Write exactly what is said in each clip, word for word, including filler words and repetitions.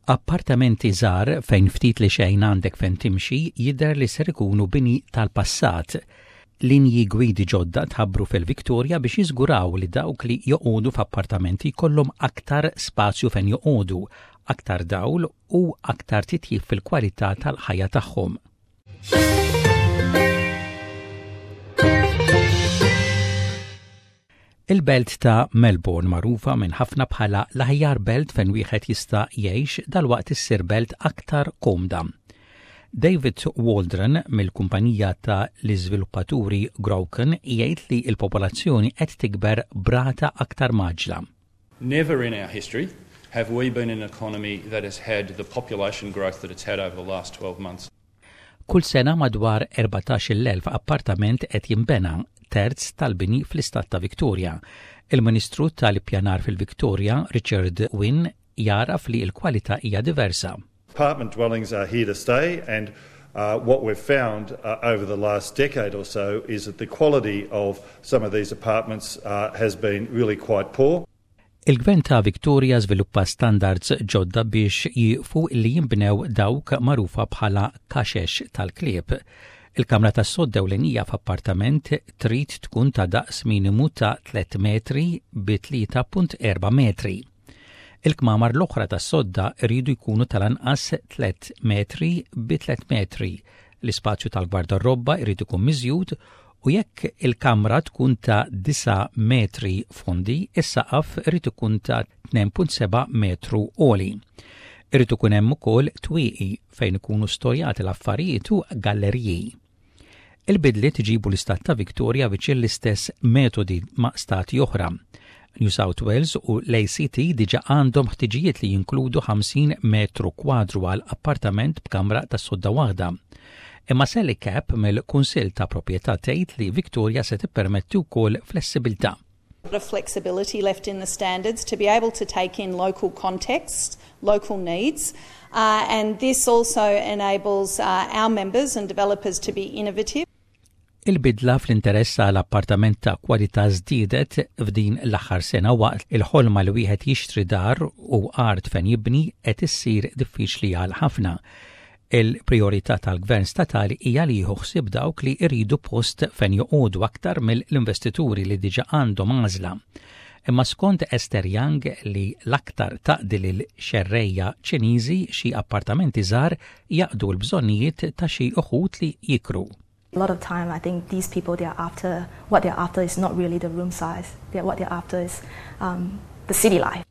Appartamenti żgħar fejn ftit li xejn għandek fejn timxi jidher li ser ikunu bini tal-passat. Linji gwidi ġodda tħabbru fil-Victoria biex jiżguraw li dawk li joqogħdu f'appartamenti jkollhom aktar spazju fejn joqogħdu, aktar dawl u aktar titjib fil-kwalità tal-ħajja tagħhom. Il-belt ta' Melbourne, magħrufa minn ħafna bħala l-aħjar belt fejn wieħed jista' jgħix, dalwaqt issir belt aktar komda. David Waldron mill-kumpanija ta' l-iżviluppaturi Grocon jgħid li l-popolazzjoni qed tikber b'rata aktar mgħaġġla. Never in our history have we been in an economy that has had the population growth that it's had over the last twelve months. Kull sena madwar erbatax-il elf appartament qed jinbena, terz tal-bini fl-istat ta' Victoria. Il-Ministru tal-Ippjanar fil-Victoria, Richard Wynne, jagħraf li l-kwalità hija diversa. Apartment dwellings are here to stay, and uh, what we've found uh, over the last decade or so is that the quality of some of these apartments uh, has been really quite poor. Il-Gvern ta' Victoria żviluppa standards ġodda biex jieqfu li jinbnew dawk magħrufa bħala kaxex tal-klieb. Il-kamra tas sodda ewlenija f'appartament trid tkun ta' daqs minimu ta' tliet metri bi tlieta punt erba' metri. Il-kmamar l-oħra tas sodda rridu jkunu tal-anqas tliet metri bi tliet metri. L-ispazju tal-gwardarobba jrid ikun miżjud u jekk il-kamra tkun ta' disa' metri fondi, is-saqaf irid ikun ta' tnejn punt seba' metru għoli. Irid ikun hemm ukoll twieqi fejn ikunu storjati l-affarijiet u galleriji. Il-bidliet iġibu l-istat ta' Victoria viċin l-istess metodi ma' stati oħra. New South Wales u l-A C T diġa għandhom ħtiġijiet li jinkludu ħamsin metru kwadru għal appartament b'kamra ta' sodda waħda. Imma Sally Capp mill-Kunsill ta' Proprjetà tgħid li Victoria se tippermetti wkoll flessibilità. Of flexibility left in the standards to be able to take in local contexts, local needs, uh, and this also enables uh, our members and developers to be innovative. Il-bidla fl-interess għal appartament ta' kwalità żdiedet f'din l-aħħar sena waqt il-ħolma li wieħed jixtri dar u art fejn jibni qed issir diffiċli għal ħafna. Il-priorità tal-gvern statali hija li jieħu ħsieb dawk li jridu post fejn joqogħdu aktar mill-investituri li diġà għandhom għażla. Imma skont Esther Young, li l-aktar taqdi lil xerreja Ċiniżi, xi appartamenti żgħar jaqdu l-bżonnijiet ta' xi uħud li jikru. A lot of time, I think these people, they are after what they're after is not really the room size. They're, what they're after is um, the city life.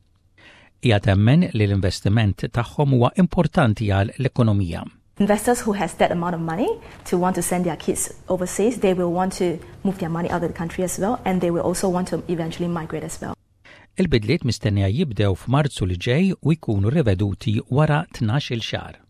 Hija temmen li l-investiment tagħhom huwa importanti għal l-ekonomija. Investors who has that amount of money to want to send their kids overseas, they will want to move their money out of the country as well, and they will also want to eventually migrate as well. Il-bidliet mistennija jibdew f'Marzu li ġej u jkunu riveduti wara tnax-il xahar.